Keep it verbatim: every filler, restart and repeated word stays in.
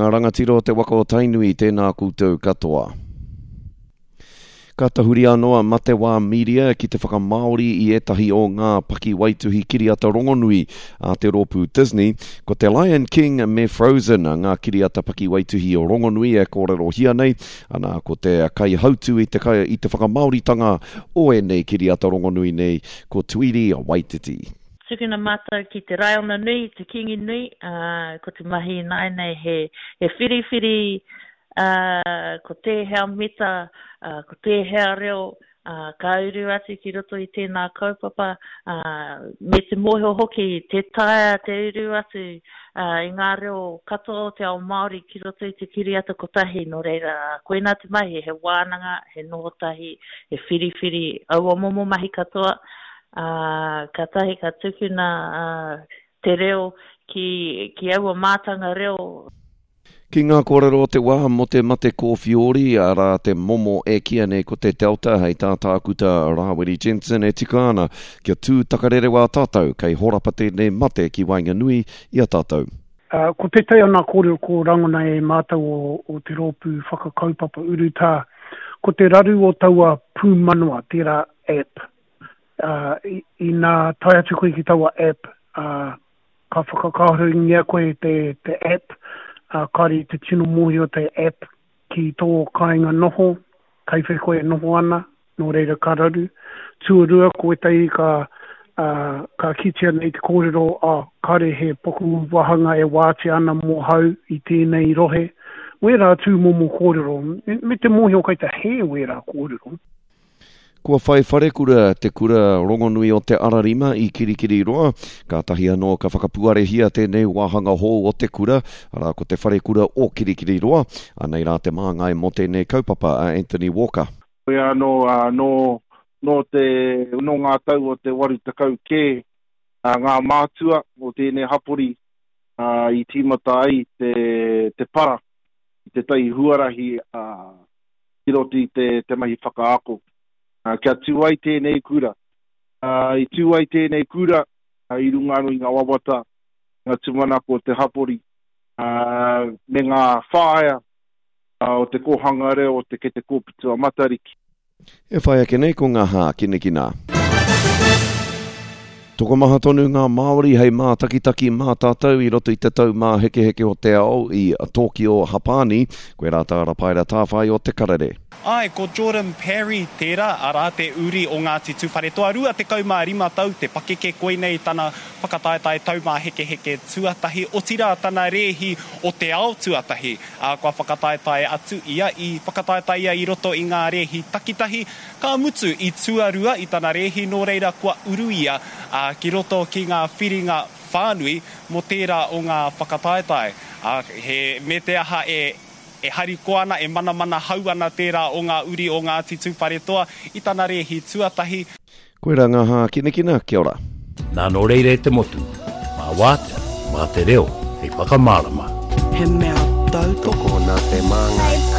Ngā rangatira o te waka o Tainui, tēnā koutou katoa. Ka tahuri anō a Matewā Media ki te whakamāori i ētahi o ngā pakiwaituhi kiriata rongonui a te rōpū Disney. Ko te Lion King me Frozen ngā kiriata pakiwaituhi rongonui e kōrerohia nei. Ana, ko te kaihautū i te, kai, i te whakamāoritanga o ēnei kiriata rongonui nei, ko Tuiri Waititi. Tukuna mātou ki te Raiona nui, te Kingi nui, uh, ko te mahi ināianei he, he whiriwhiri, uh, ko tēhea mita, uh, ko tēhea reo, uh, ka uru atu ki roto i tēnā kaupapa, uh, me te mōhio hoki, te taea te uru atu uh, i ngā reo katoa o te ao Māori ki roto i te kiriata kotahi, nō reira, koina te mahi, he wānanga, he noho tahi, he whiriwhiri, aua momo mahi katoa, uh, ka tahi ka tukuna uh, te reo ki, ki aua mātanga reo. Ki ngā kōrero o te wā mō te mate kōwhiori, arā te momo e kīia nei ko te Delta, hei tā tākuta Rāwiri Jensen e tika ana kia tū takarerewa tātou kei horapa tēnei mate ki waenganui i a tātou. Uh, ko tētahi o ngā kōrero ko rangona e mātou o, o te rōpū whakakaupapa urutā, ko te raru o taua pūmanawa, tērā app. Uh, inā tae atu koe ki taua app, uh, ka whakakāhorengia koe te, te app, uh, kāre i te tino mōhio te app ki tō kāinga noho, kei whea koe e noho ana, nō reira ka raru. Tuarua, ko ētahi ka, uh, ka kitea nei te kōrero, oh, kāre he poku wāhanga e wātea ana mō hau i tēnei rohe. Wērā tūmomo kōrero, me, me te mōhio kei te hē wērā kōrero. Kua whai wharekura te kura rongonui o Te Ararima i Kirikiriroa. Kātahi anō ka whakapuarehia tēnei wāhanga hou o te kura, arā ko te wharekura o Kirikiriroa. Anei rā te māngai mō tēnei kaupapa a Anthony Walker. Koe anō, uh, nō, nō, te, nō ngā tau o te waru tekau kē uh, ngā mātua o tēnei hapori uh, i tīmata ai te, te para i te tai huarahi uh, ki roto i te, te mahi whakaako. Uh, kia tū ai tēnei kura. Uh, i tū ai tēnei kura uh, i runga anō i ngā wawata, ngā tūmanako o te hapori, uh, me ngā whāia uh, o te kōhanga reo o te Kete Kōputu a Matariki. E whai ake nei ko ngā hākinakina. Tokomaha tonu ngā Māori hei mātakitaki mā tātou i roto i te taumāhekeheke o te ao i Tōkio, Hapani. Koe rā tā Rapaera Tāwhai o Te Karere. Ai, ko Jordan Parry tērā, arā te uri o Ngāti Tūwharetoa, rua tekau mā rima tau te pakeke, koinei tana whakataetae taumāhekeheke tuatahi, otirā tana rēhi o te ao tuatahi. Ā, kua whakataetae atu ia, i whakataetae ia i roto i ngā rēhi takitahi, ka mutu i tuarua i tana rēhi, nō reira kua uru ia, ā, ki roto ki ngā whiringa whānui mō tērā o ngā whakataetae. Ā, he, me te aha e e harikoa ana, e manamana hau ana tērā o ngā uri o Ngāti Tūwharetoa i tana rēhi tuatahi. Koirā ngā hākinakina, kia ora. Nā nō reira e te motu, mā wātea, mā te reo, hei whakamārama. He mea tautoko Tokona te māngai.